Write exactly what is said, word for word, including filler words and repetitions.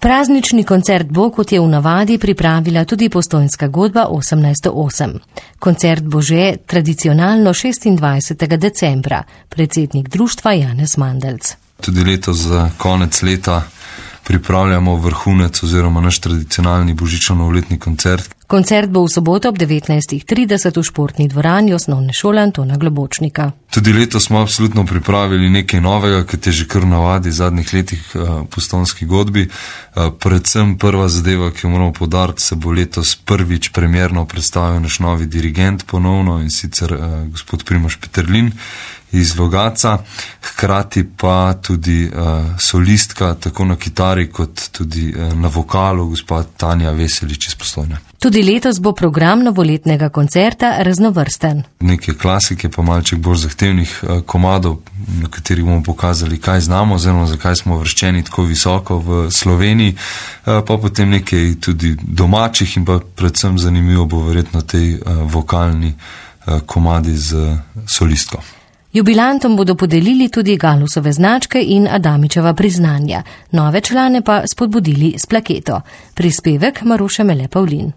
Praznični koncert bo, kot je v navadi, pripravila tudi Postojnska godba osemnajststo osem. Koncert bo že tradicionalno šestindvajsetega decembra, predsednik društva Janez Mandelc. Tudi letos za konec leta pripravljamo vrhunec oziroma naš tradicionalni božično-novoletni koncert. Koncert bo v soboto ob devetnajstih trideset v športni dvorani Osnovne šole Antona Globočnika. Tudi letos smo absolutno pripravili nekaj novega, kot je že kar navadi v zadnjih letih v Postojnski godbi. Predvsem prva zadeva, ki jo moramo poudariti, se bo letos prvič premierno predstavil naš novi dirigent ponovno, in sicer gospod Primož Peterlin iz Logatca, hkrati pa tudi uh, solistka tako na kitari kot tudi uh, na vokalu gospa Tanja Veselič iz Postojne. Tudi letos bo program novoletnega koncerta raznovrsten. Nekaj klasike, pa malček bolj zahtevnih uh, komadov, na katerih bomo pokazali, kaj znamo, oziroma zakaj smo vrščeni tako visoko v Sloveniji, uh, pa potem nekaj tudi domačih in pa predvsem zanimivo bo verjetno tej uh, vokalni uh, komadi z uh, solistko. Jubilantom bodo podelili tudi Galusove značke in Adamičeva priznanja, nove člane pa spodbudili s plaketo. Prispevek Maruše Mele Pavlin.